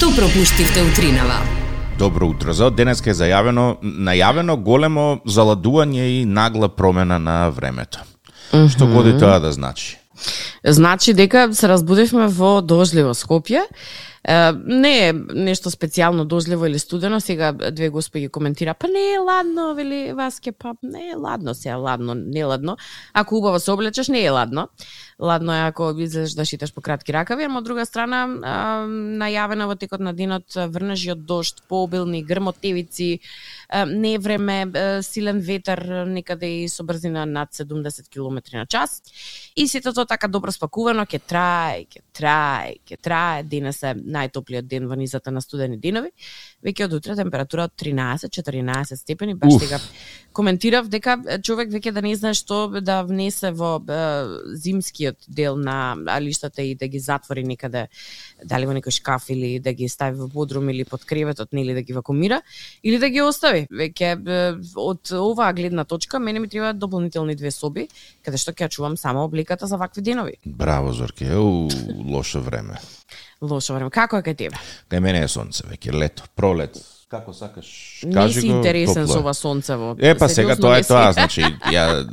Што пропуштивте утринава? Добро утро. За денеска е најавено големо заладување и нагла промена на времето. Што годи тоа да значи? Значи дека се разбудивме во дожливо Скопје. Не е нешто специјално дожливо или студено, сега две господи коментира, па не е ладно, вели Васке, па не е ладно, сега ладно, не ладно. Ако убаво се облечеш, не е ладно. Ладно е ако излезеш да шиташ по кратки ракави, ама од друга страна, најавена во текот на денот врнежи од дожд, пообилни грмотевици, не време, силен ветер, некаде и со брзина над 70 км на час. И сето тоа така добро спакувано, ќе трае. Денес е најтоплиот ден во низата на студени денови. Веќе од утре температура од 13-14 степени. Баш сега коментирав дека човек веќе да не знае што да внесе во зимскиот дел на алиштата и да ги затвори некаде, дали во некој шкаф или да ги стави во подрум или под креветот, нели да ги вакуумира, или да ги остави. Веќе од оваа гледна точка мене ми треба дополнителни 2 соби, каде што ќе чувам само облеката за вакви денови. Браво, Зорке, лошо време. Лошо време. Како е кај тебе? Кај мене е сонце, веќе лето, пролет. Како сакаш, кажи го. Не си интересен со ова сонцево. Па сега тоа е тоа, значи ја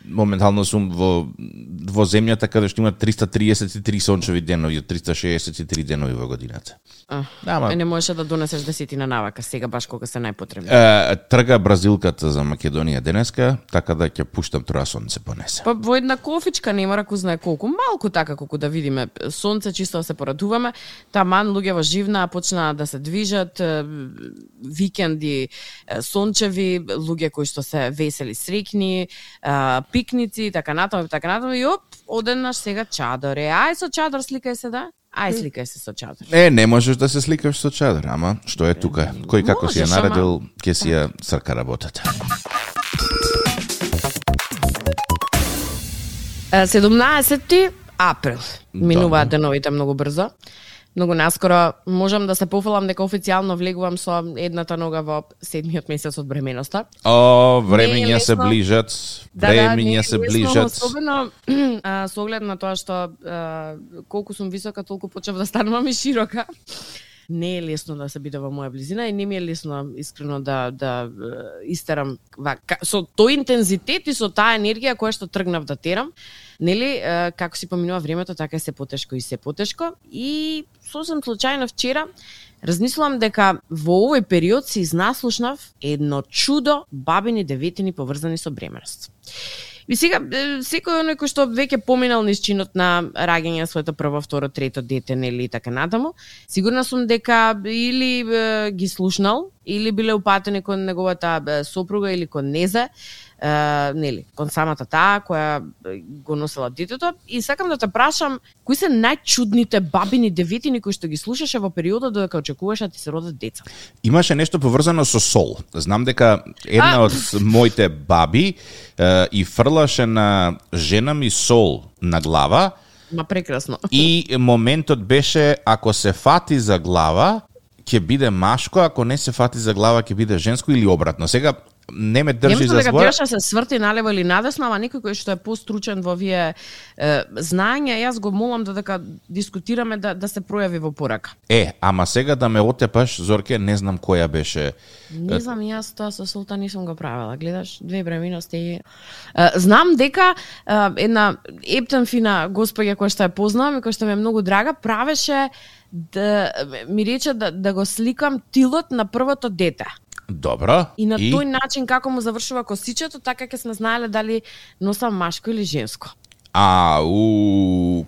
моментално сум во земјата каде што има 333 сончеви денови, 363 денови во годината. Не можеше да донесеш десетина навака сега баш кога се најпотребни. Трга бразилката за Македонија денеска, така да ќе пуштам тоа сонце понесе. Па во една кофичка нема раку знае колку, малку така колку да видиме сонце, чисто се порадуваме. Таман луѓе во живна почнаа да се движат, викенди сончеви, луѓе кои што се весели, среќни, пикници, така натаму и одеднаш сега чадор е. Ај со чадор сликај се, да? Ај сликај се со чадор. Не можеш да се сликаш со чадор, ама што е тука? Кој како си ја наредил, ќе си ја црка работата. 17 април. Минуваат деновите многу брзо. Многу наскоро можам да се пофалам дека официјално влегувам со едната нога во 7-миот месец од бременоста. Времења се ближат. Времења се ближат. Особено со оглед на тоа што колку сум висока, толку почнав да станувам и широка. Не е лесно да се биде во моја близина и не ми е лесно искрено да истерам со тој интензитет и со таа енергија која што тргнав да терам. Нели, како си поминува времето, така е се потешко и се потешко. И сосем случајно вчера размислувам дека во овој период се изнаслушнав едно чудо бабини деветини поврзани со бременост. И сега, секој оној кој што веќе поминал низ чинот на раѓање на своето прво, второ, трето дете, нели, и така натаму, сигурна сум дека или ги слушнал, или биле упатени кон неговата сопруга или кон незе, нели, кон самата таа која го носела детето. И сакам да те прашам, кои се најчудните бабини деветини кои што ги слушаше во периодот додека очекуваш да ти се родат деца? Имаше нешто поврзано со сол. Знам дека една од моите баби и фрлаше на жена ми сол на глава. Ма прекрасно. И моментот беше, ако се фати за глава, ќе биде машко, ако не се фати за глава, ќе биде женско или обратно. Сега не ме држи за збор. Дека се сврти налево или надесно, ама некој кој што е постручен во вие знаења, јас го молам додека дискутираме да се пројави во порака. Ама сега да ме отепаш, Зорке, не знам која беше. Не знам, јас тоа со солта не сум го правила. Гледаш, 2 бременности. Знам дека една ептен фина госпоѓа која што ја познавам и која што ми е многу драга, правеше да ми рече да го сликам тилот на првото дете. Добро. И на тој начин како му завршува косичето, така ќе сме знаеле дали носам машко или женско.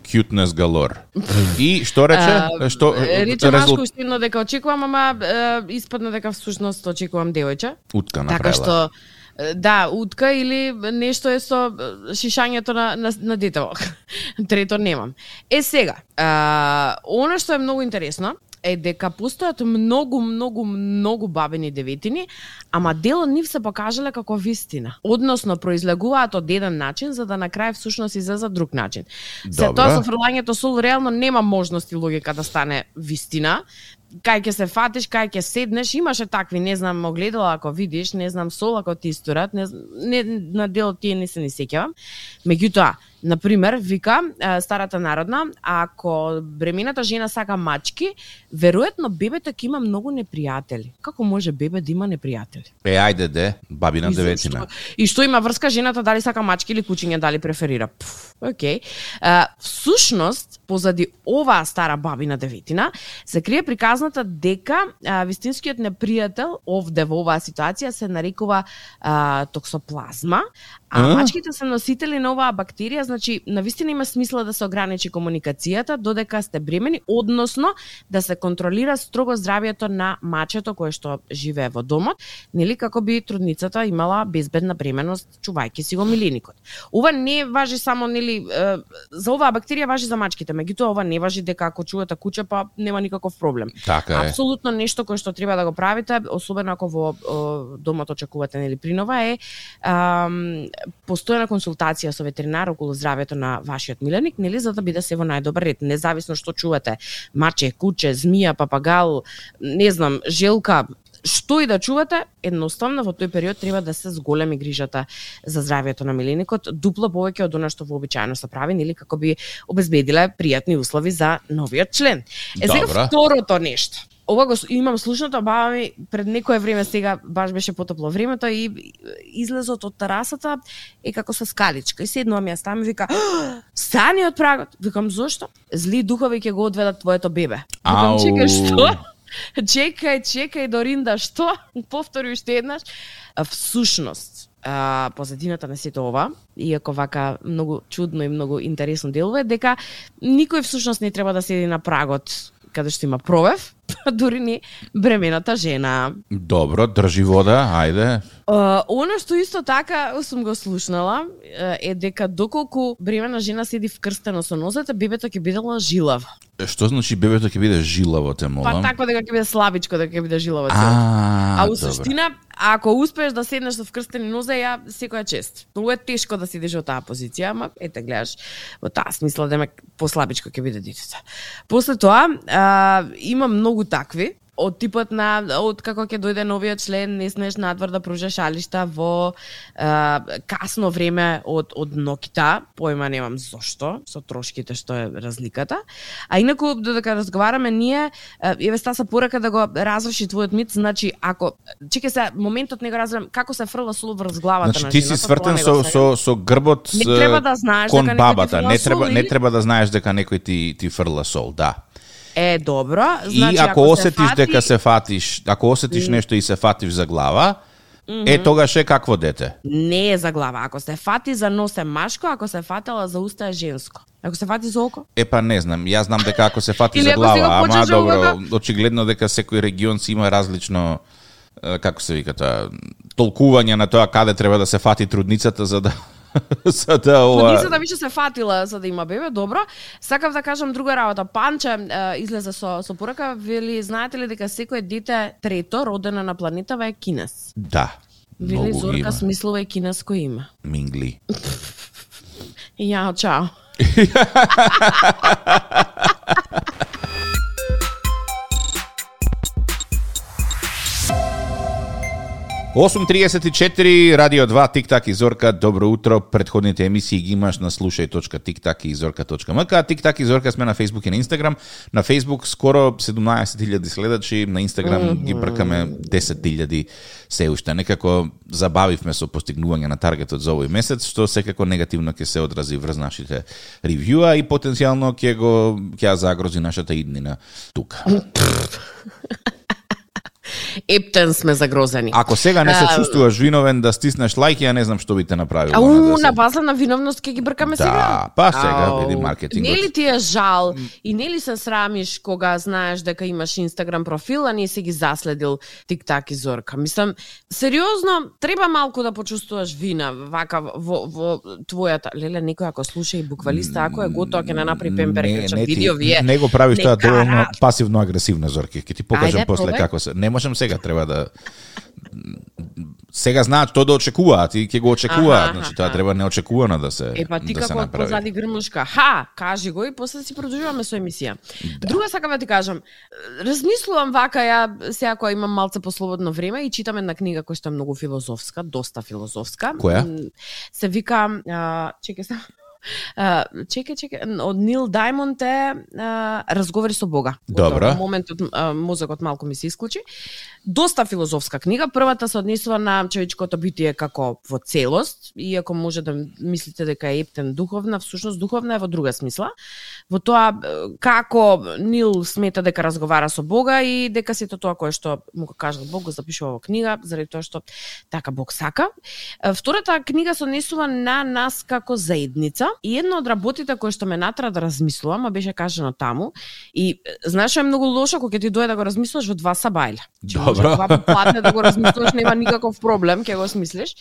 Cuteness galore. И што рече? Рече машко устино дека очекувам, ама испадна дека всушност очекувам девојче. Утка направила. Така што да, утка или нешто е со шишањето на детево. Трето немам. Сега, она што е многу интересно е дека постојат многу бабини деветини, ама дел од нив се покажале како вистина. Односно, произлегуваат од еден начин, за да на крај всушност излезе друг начин. Се тоа со фрлањето сол реално нема можност и логика да стане вистина. Кај ќе се фатиш, кај ќе седнеш, имаше такви, не знам, огледала ако видиш, не знам, сол ако ти исторат, не на дел тие не се ни сеќавам. Меѓутоа, Например, вика старата народна, ако бремената жена сака мачки, веројатно бебето ќе има многу непријатели. Како може бебе да има непријатели? Ајде, бабина деветина. И што има врска жената дали сака мачки или кучиња дали преферира? Океј. Всушност, позади оваа стара бабина деветина, се крие приказната дека вистинскиот непријател овде во оваа ситуација се нарекува токсоплазма, а мачките се носители на оваа бактерија, значи навистина има смисла да се ограничи комуникацијата додека сте бремени, односно да се контролира строго здравјето на мачето кое што живее во домот, нели како би трудницата имала безбедна бременост чувајќи си го милиникот. Ова не важи само нели за оваа бактерија, важи за мачките, меѓутоа ова не важи дека ако чувате куче па нема никаков проблем. Така е. Апсолутно нешто кое што треба да го правите, особено ако во домот очекувате нели принова е постојана консултација со ветеринар околу здравјето на вашиот миленик, нели, за да биде се во најдобар ред, независно што чувате, маче, куче, змија, папагал, не знам, желка, што и да чувате, едноставно во тој период треба да се зголеми грижата за здравјето на миленикот, дупло повеќе од она што вообичаено се прави, нели, како би обезбедиле пријатни услови за новиот член. Сега второто нешто. Ова го имам слушнато, баба ми пред некое време, сега баш беше потопло времето и излезот од терасата е како со скаличка и седнува ми ја стами и вика: "Стани од прагот." Викам: "Зошто?" "Зли духови ќе го одведат твоето бебе." Викам: "Чекај, што?" Чекај, Доринда, што? Повтори уште еднаш. Всушност, позадината на сето ова, иако вака многу чудно и многу интересно делува, дека никој всушност не треба да седи на прагот каде што има провев, дури не бремената жена. Добро, држи вода, ајде. Оно што исто така сум го слушнала е дека доколку бремена жена седи вкрстено со нозете, бебето ќе биде жилаво. Што значи бебето ќе биде жилаво, те молам? Па така дека ќе биде слабичко, дека ќе биде жилаво цело. А у суштина, ако успееш да седнеш со вкрстени нозе, ја секоја чест. Многу е тешко да седиш во таа позиција, ама ете гледаш во таа смисла дека послабичко ќе биде детето. После тоа има многу такви од типот на од како ќе дојде новиот член, не смееш надвор да пружаш шалишта во касно време од ноќта, појма немам зошто, со трошките што е разликата. А инаку додека разговараме ние, еве стаса порака да го разреши твојот мит, значи ако чекај се моментот не го разберам како се фрла сол врз главата значи, на жената. Значи ти си свртен со грбот не треба да знаеш кон дека бабата, не треба да знаеш дека некој ти фрла сол, да. Добро, значи и ако осетиш дека се фатиш, ако осетиш нешто и се фатиш за глава, тогаш е какво дете? Не е за глава. Ако се фати за нос е машко, ако се фатела за уста е женско. Ако се фати за око? Па не знам, јас знам дека ако се фати за глава, ама добро, очигледно дека секој регион си има различно, како се вика тоа, толкување на тоа каде треба да се фати трудницата за да Трудницата више се фатила за да има бебе, добро. Сакав да кажам друга работа. Панче излезе со порака, вели, знаете ли дека секое дете трето родено на планетава е кинес? Да. Вели Зорка смислува е кинеско име. Мингли. Јао, чао. 8:34, Радио 2, Тик-так и Зорка, добро утро. Предходните емисии ги имаш на slušaj.tiktak и zorka.mk. Тик-так и Зорка сме на Facebook и на Instagram. На Facebook скоро 17.000 следачи, на Instagram ги бркаме 10.000 се уште. Некако забавивме со постигнување на таргетот за овој месец, што секако негативно ќе се одрази врз нашите ревјуа и потенцијално ќе загрози нашата иднина тука. Ептен сме загрозени. Ако сега не се чувствуваш виновен да стиснеш лајк, ја не знам што би те направил. На база на виновност ќе ги бркаме сега. Да, па сега види маркетингот. Нели ти е жал и нели се срамиш кога знаеш дека имаш Инстаграм профил, а не си ги заследил Тик-так и Зорка? Мислам, сериозно, треба малку да почувствуваш вина вака во твојата. Леле, некој ако слуша и буквалиста, ако е готово ќе не направи пемперекречат видео, вие. Не го правиш тоа доволно пасивно агресивно, Зорки. Ќе ти покажам после како се. Не можам сега, треба да сега знаат што да очекуваат и ќе го очекуваат, значи тоа треба неочекувано да се направи. Па ти како позади грмушка, кажи го и после си продолжуваме со емисија. Да. Друга сакам да ти кажам, размислувам вака ја сега кога имам малце послободно време и читам една книга која што е многу филозофска, доста филозофска. Која? Се вика, чекај се. Чекај, од Нил Даймонд е Разговори со Бога. Добро. Во моментот мозокот малку ми се исклучи. Доста филозофска книга. Првата се однесува на човечкото битие како во целост, иако може да мислите дека е ептен духовна, всушност духовна е во друга смисла. Во тоа како Нил смета дека разговара со Бога и дека сето тоа кое што му го кажал Бог го запишува во книга, заради тоа што така Бог сака. Втората книга се однесува на нас како заедница и една од работите кои што ме натера да размислувам, а беше кажано таму, и знаеш што е многу лошо кога ти дојде да го размислуваш во 2 сабајле. Добро. Два платне да го размислуваш, нема никаков проблем, ќе го смислиш.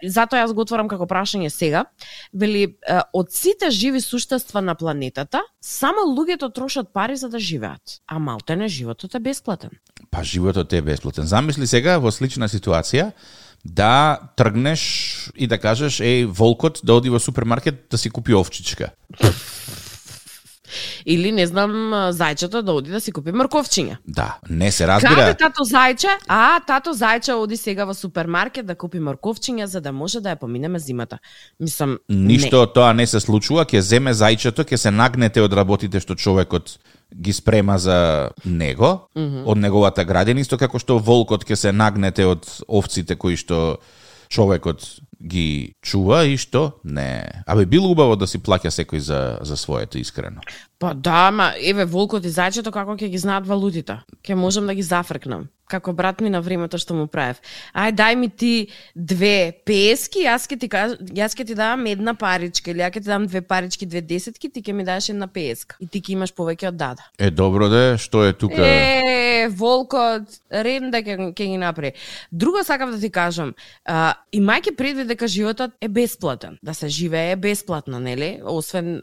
Затоа јас го отворам како прашање сега. Вели, од сите живи суштества на планетата, само луѓето трошат пари за да живеат, а малтене животот е бесплатен. Па животот е бесплатен. Замисли сега во слична ситуација да тргнеш и да кажеш волкот да оди во супермаркет да си купи овчичка. Или, не знам, зајчето да оди да си купи мрковчиња. Да, не се разбира. Каде тато зајче? Тато зајче оди сега во супермаркет да купи мрковчиња за да може да ја поминеме зимата. Мислам, ништо од тоа не се случува, ќе земе зајчето, ќе се нагнете од работите што човекот ги спрема за него, од неговата градина, исто како што волкот ќе се нагнете од овците кои што човекот ги чува и што не. Абе било убаво да си плаќа секој за своето, искрено. Па да, ма еве волкот и зајчето како ќе ги знаат валутите. Ќе можам да ги зафркнам. Како брат ми на времето што му правев. Дај ми ти 2 пески, јас ќе ти дам една паричка, или ја ќе ти дам 2 парички, 2 десетки, ти ќе ми дадеш една песка. И ти ќе имаш повеќе од дада. Добро де, што е тука? Волкот, редно ќе ги направи. Друго сакав да ти кажам, имајќи предвид дека животот е бесплатен, да се живее бесплатно, нели? Освен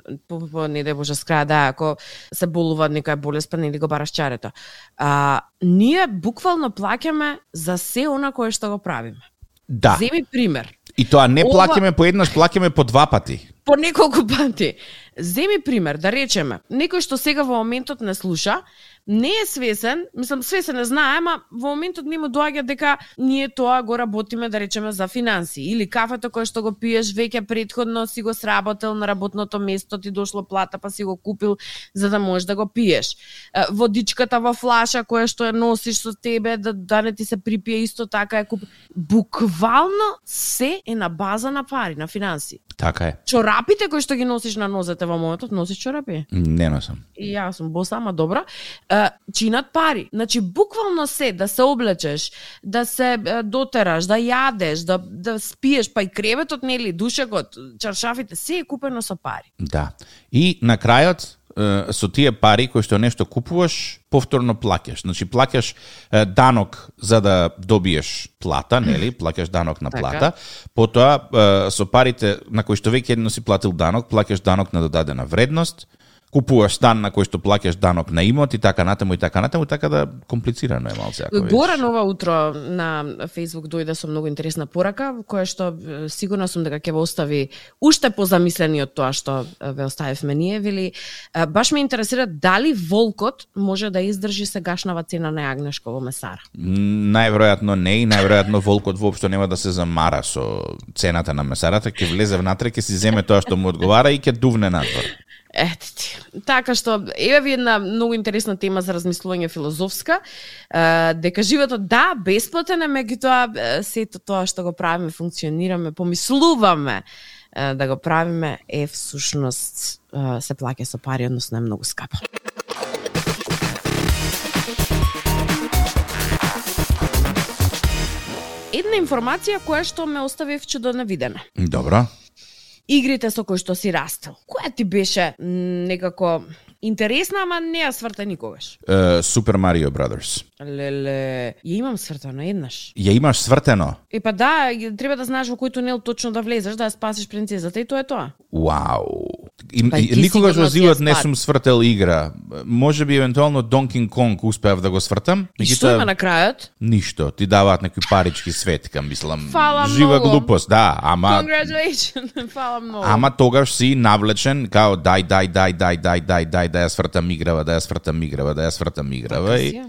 не да Боже скраја да ако се болува некоја болест, па нели го бараш чарето. Ние буквално плаќаме за се она кое што го правиме. Да. Земи пример. И тоа не плаќаме по еднаш, плаќаме по 2 пати. По неколку пати. Земи пример, да речеме, некој што сега во моментот не слуша, не е свесен, мислам свесен не знае, ама во моментот не му доаѓа дека ние тоа го работиме, да речеме, за финанси, или кафето кое што го пиеш веќе претходно си го сработил на работното место, ти дошло плата па си го купил за да можеш да го пиеш. Водичката во флаша која што ја носиш со тебе да не ти се припие исто така е куп. Буквално се е на база на пари, на финанси. Така е. Чорапите кои што ги носиш на нозете во моментот, носиш чорапи? Не носам. И јас сум боса, ама добра. Чинат пари. Значи, буквално се, да се облечеш, да се дотераш, да јадеш, да спиеш, па и креветот, нели, душекот, чаршафите, се е купено со пари. Да. И на крајот, со тие пари кои што нешто купуваш, повторно плаќаш. Значи, плаќаш данок за да добиеш плата, нели? Плаќаш данок на плата. Потоа, со парите на кои што веќе едно си платил данок, плаќаш данок на додадена вредност, купуваш стан на кој што плаќаш данок на имот и така натаму, така да комплицирано е малце. Горан ова утро на Facebook дојде со многу интересна порака, која што сигурна сум дека ќе ве остави уште позамислени од тоа што ве оставивме ние. Вели, баш ме интересира дали волкот може да издржи сегашнава цена на јагнешко во месара. Најверојатно не, и најверојатно волкот воопшто нема да се замара со цената на месарата, ќе влезе внатре, ќе си земе тоа што му одговара и ќе дувне надвор. Ете ти. Така што, еве ви една многу интересна тема за размислување филозофска, дека животот да, бесплатен е, меѓутоа сето тоа што го правиме, функционираме, помислуваме да го правиме, всушност се плаќа со пари, односно е многу скапо. Една информација која што ме остави чудо невидена. Добро. Игрите со кои што си растел. Која ти беше некако интересна, ама не ја сврта никогаш? Super Mario Brothers. Леле, ја имам свртено еднаш. Ја имаш свртено? Па да, треба да знаеш во кој тунел точно да влезеш, да ја спасиш принцезата и тоа е тоа. Вау. Никогаш во живот не сум свртел игра. Може би евентуално Donkey Kong успеав да го свртам. И што има на крајот? Ништо. Ти даваат некои парички светка, мислам. Фала жива многу. глупост, да, ама Congratulations. Фала многу. Ама тогаш си навлечен као дај да ја свртам играва, да ја свртам играва. И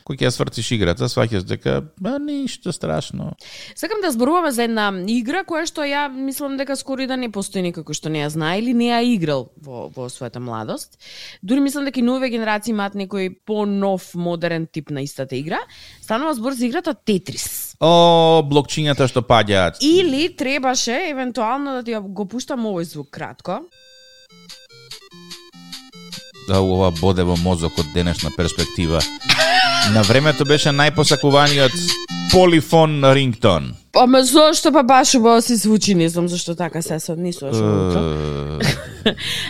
кој ќе ја свртиш играта, сваќаш дека ништо страшно. Сакам да зборуваме за една игра која што ја мислам дека скоро и да не постои никако што не ја знае или не ја играл во својата младост. Дури мислам дека и нови генерации имаат некој по-нов модерен тип на истата игра. Станува збор за играта Тетрис. Блокчињата што паѓаат. Или требаше евентуално да ти го пуштам овој звук кратко. Да, ова боде во мозокот денешна перспектива. На времето беше најпосакуваниот полифон рингтон. Ама зошто па баш убаво си звучи, не знам зашто така се не слушам.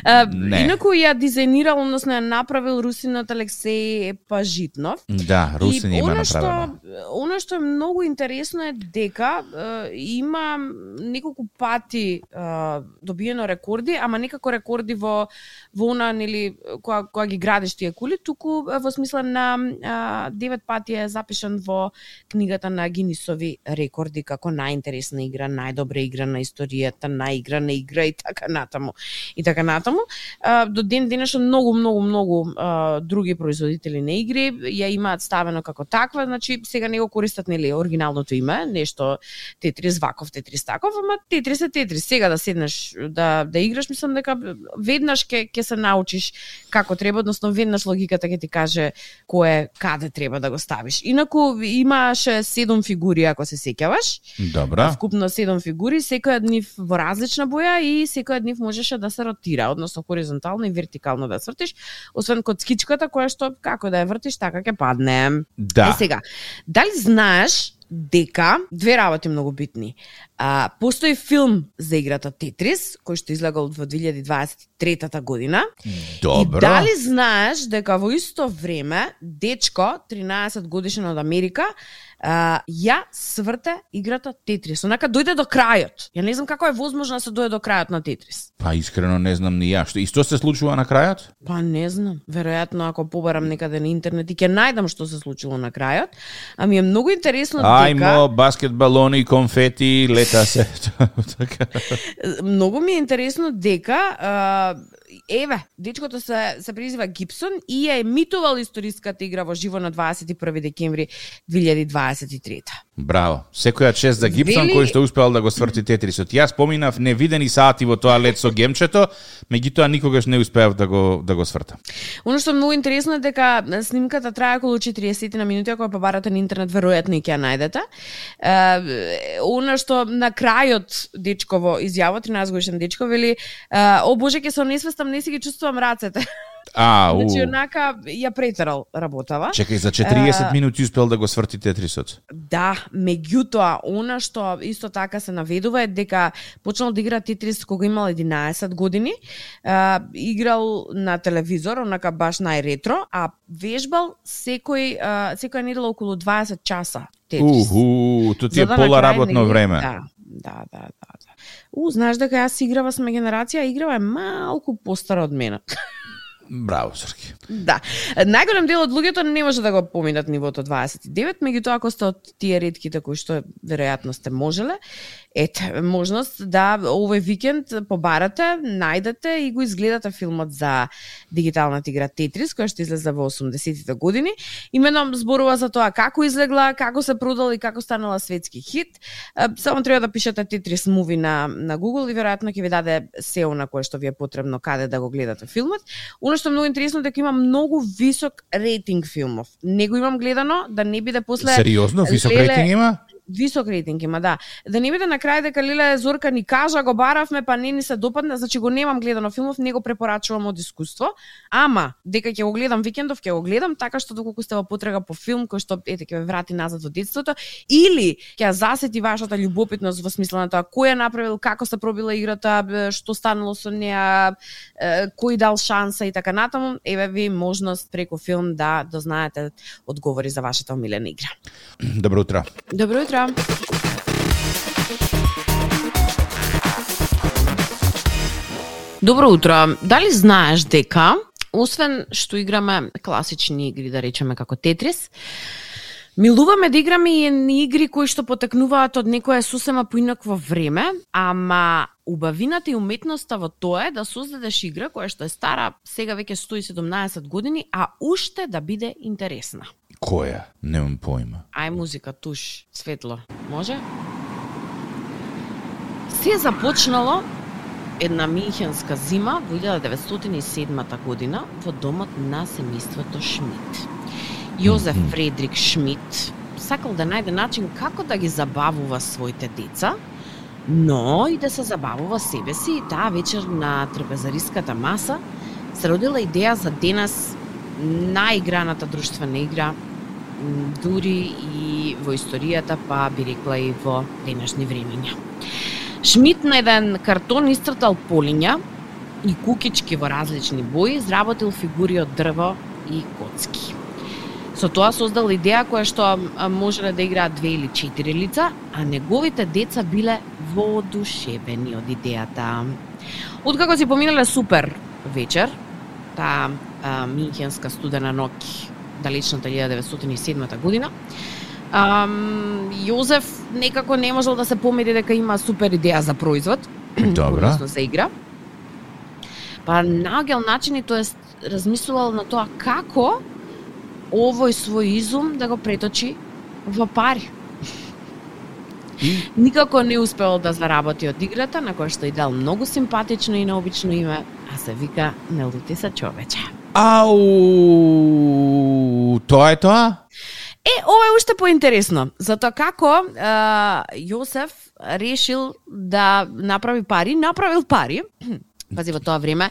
Инаку ја дизајнирал, односно ја направил русинот Алексеј Пажитнов. Да, русин има направено. Она што е многу интересно е дека има неколку пати добиено рекорди, ама некако рекорди во она, нели, кога ги градиш тие кули, туку во смисла на 9 пати е запишан во книгата на Гинисови рекорди како најинтересна игра, најдобра игра на историјата, најиграна игра и така натаму. И така натаму. До ден денешно многу други производители на игри ја имаат ставено како таква, значи сега не го користат, нели, оригиналното име, нешто Тетрис ваков, Тетрис таков, ама Тетрис е Тетрис. Сега да седнеш да играш, мислам дека веднаш ќе се научиш како треба, односно веднаш логиката ќе ти каже каде треба да го ставиш. Инаку имаше 7 фигури, ако се сеќаваш. Добра. Вкупно 7 фигури, секоја од нив во различна боја и секоја од нив можеше да се ротира, односно хоризонтално и вертикално да свртиш, освен коцкичката која што како да ја вртиш така ќе падне. Да. Сега, дали знаеш дека две работи многу битни. Постои филм за играта Тетрис, кој што излегал во 2023 година. Добро. И дали знаеш дека во исто време дечко 13 годишен од Америка ја сврте играта Тетрис. Онака дојде до крајот. Ја не знам како е возможно да се дојде до крајот на Тетрис. Па искрено не знам ни ја. Што се случува на крајот? Па не знам. Веројатно ако побарам некаде на интернет и ќе најдам што се случило на крајот. Ами е многу интересно дека Ајмо, баскетбалони, конфети, лета се. Многу ми е интересно дека еве, дечкото се презива Гибсон и ја емитувал историската игра во живо на 21 декември 2023. Браво. Секоја чест за Гибсон кој што успеал да го сврти Тетрисот. Јас поминав невидени сати во тоа лет со гемчето, меѓутоа никогаш не успеав да го свртам. Оно што е многу интересно е дека снимката трае околу 40 на минути, ако ја побарате на интернет веројатно и ќе ја најдете. Оно што на крајот дечково изјава, 13 годишен дечко вели: "О боже, ќе се онесвестам, не си ги чувствувам рацете." Значи, онака ја претерал работава. Чекај, за 40 минути успел да го сврти Тетрисот. Да, меѓутоа, она што исто така се наведува е дека почнал да игра Тетрис кога имал 11 години, играл на телевизор, онака баш најретро, а вежбал секоја недела околу 20 часа Тетрис. Тоа ти е пола работно време. Да. Знаеш дека јас играва, сме генерација, играва е малку постара од мене. Браво, Срки. Да. Најголем дел од луѓето не може да го поминат нивото 29, меѓутоа ако сте од тие ретките кои што веројатно сте можеле, ете, можност да овој викенд побарате, најдете и го изгледате филмот за дигиталната игра Тетрис, која што излезе во 80-тите години. Имено зборува за тоа како излегла, како се продала и како станала светски хит. Само треба да пишете Тетрис муви на Google и веројатно ќе ви даде SEO на кое што ви е потребно каде да го гледате филмот. Оно што е многу интересно дека има многу висок рейтинг филмов. Не го имам гледано, да не биде после... Сериозно? Висок рейтинг има? Висок рейтинг има, да. Да не биде на крај дека Лиле Зорка ни кажа, го баравме, па не ни се допадна, значи го немам гледано филмов, не го препорачувам од искуство, ама дека ќе го гледам викендов, ќе го гледам, така што доколку сте во потрега по филм кој што ете ќе ве врати назад во детството, или ќе засети вашата љубопитност во смисла на тоа кој е направил, како се пробила играта, што станало со неа, кој дал шанса и така натаму, еве ви можност преку филм да дознаете одговори за вашата омилена игра. Добро утро. Добро утро. Добро утро. Дали знаеш дека, освен што играме класични игри, да речеме како Тетрис, милуваме да играме и игри кои што потекнуваат од некое сосема поинакво време, ама убавината и уметноста во тоа е да создадеш игра која што е стара сега веќе 117 години, а уште да биде интересна. Која? Немам поима. Ај музика, туш, светло. Може? Се започнало една михенска зима во 1907 година во домот на семејството Шмит. Јозеф Фредрик Шмит сакал да најде начин како да ги забавува своите деца, но и да се забавува себе си, и таа вечер на трапезариската маса се родила идеја за денес наиграната друштвена игра, дури и во историјата, па би рекла и во денешни времиња. Шмит на еден картон истртал полиња и кукички во различни бои, изработил фигури од дрво и коцки. Со тоа создал идеја која што можеле да играат 2 или 4 лица, а неговите деца биле воодушевени од идејата. Откако си поминале супер вечер, таа михенска студена ноќ, далечната 1907 година, Јозеф некако не можел да се помири дека има супер идеја за производ, односно за игра. Па наоѓал начини, тоест размислувал на тоа како овој свој изум да го преточи во пари. Никако не успел да заработи од играта, на која што и дал многу симпатично и необично име, а се вика Не лути се човече. Ау, тоа е тоа? Ова е уште поинтересно, затоа како Јозеф решил да направи пари, направил пари. Пази, во тоа време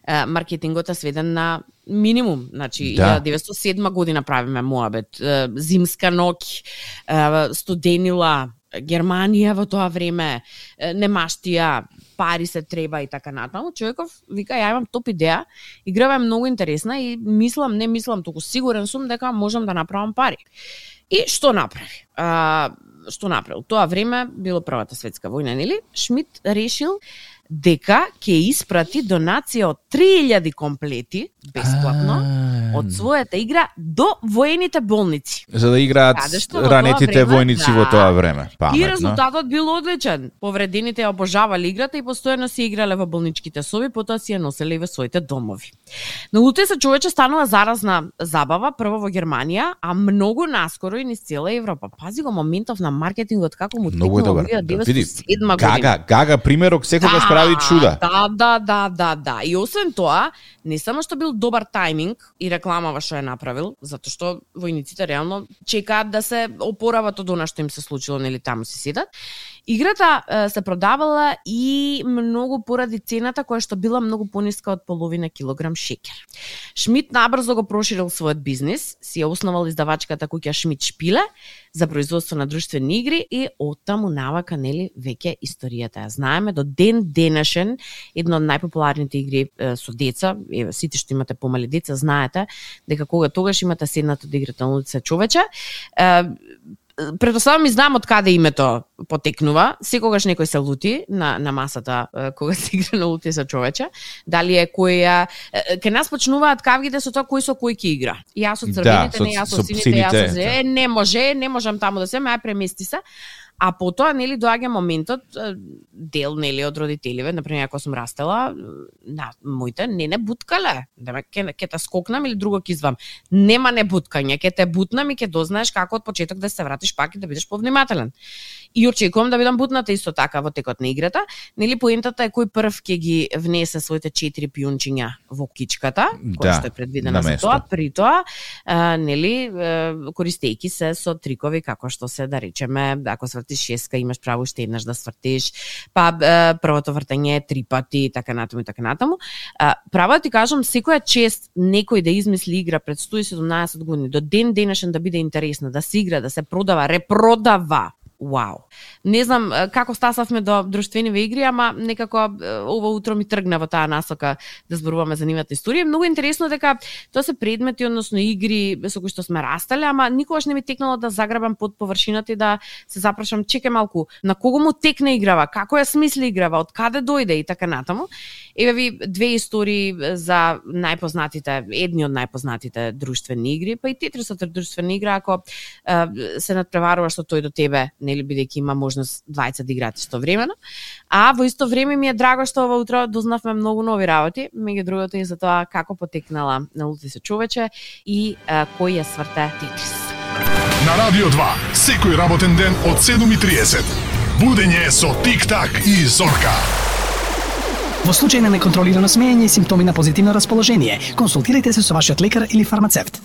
маркетингот е сведен на минимум, значи 1907 година правиме моабет, зимска ноќ, студенила, Германија во тоа време, немаштија, пари се треба и така натаму. Човеков вика, ја имам топ идеја, играва е многу интересна и не мислам, туку сигурен сум дека можам да направам пари. И што направи? Што направил? Тоа време било Првата светска војна, нели? Шмит решил дека ќе испрати донација од 3000 комплети бесплатно од својата игра до воените болници. За да играат ранетите војници во тоа време. Паметно. И резултатот бил одличен. Повредените ја обожавале играта и постојано си играле во болничките соби, потоа си ја носеле и во своите домови. Но луте се човече станува заразна забава, прво во Германија, а многу наскоро и низ цела Европа. Пази го моментов на маркетингот како му текнува во 1907 година. Гага примерок секогаш прави чуда. Да. И освен тоа, не само што бил добар тајминг и рекламава што е направил, затоа што војниците реално чекаат да се опорават од она што им се случило, нели таму си седат. Играта се продавала и многу поради цената која што била многу пониска од половина килограм шеќер. Шмит набрзо го проширил својот бизнис, си ја основал издавачката куќа Шмит Шпиле за производство на друштвени игри и оттаму навака, нели, веќе историјата ја знаеме до ден денешен. Една од најпопуларните игри со деца, сите што имате помали деца знаете дека кога тогаш имате седнато да играте на улица човече, предоставам и знам од каде името потекнува. Секогаш некој се лути на масата кога се игра на улица човече. Дали е која ке нас почнуваат кавгите со тоа кој со кој ќе игра. Јас со црвените, не јас со сините, јас со не можам таму да се, ај премести се. А потоа, нели, доаѓа моментот, дел, нели, од родителиве, например, ако сум растела, моите не буткале, ќе те скокнам или друго ќе извам. Нема не буткање, ќе те бутнам и ќе дознаеш како од почеток да се вратиш пак и да бидеш повнимателен. И очекувам да бидам бутната исто така во текот на играта. Нели, поентата е кој прв ќе ги внесе своите 4 пијунчиња во кичката, која што е предвидена за тоа, при тоа, нели, користејќи се со трикови како што се, да речеме, ако свртиш шеска, имаш право уште еднаш да свртиш, па првото вртење е 3 пати и така натаму. Право да ти кажам, секоја чест некој да измисли игра пред 117 години, до ден денешен да биде интересна, да се игра, да се продава, репродава. Вау. Не знам како стасавме до друштвени игри, ама некако ова утро ми тргна во таа насока да зборуваме за нивната историја. Многу интересно дека тоа се предмети, односно игри со кои што сме растале, ама никогаш не ми текнало да заграбам под површината и да се запрашам, чекај малку, на кого му текне играва, како ја смисли играва, од каде дојде и така натаму. Еве ви две истории за најпознатите, едни од најпознатите друштвени игри, па и Тетрисот е друштвена игра, ако се надпреваруваш со тој до тебе, нели бидејќи има можност двајца да играат истовремено. А во исто време ми е драго што ова утро дознавме многу нови работи, меѓу другото и за тоа како потекнала Налути се човече и кој ја сврте Тетрис. На Радио 2, секој работен ден од 7:30. Будење со Тик-так и Зорка. Во случај на неконтролирано смеење и симптоми на позитивно расположение, консултирайте се со вашиот лекар или фармацевт.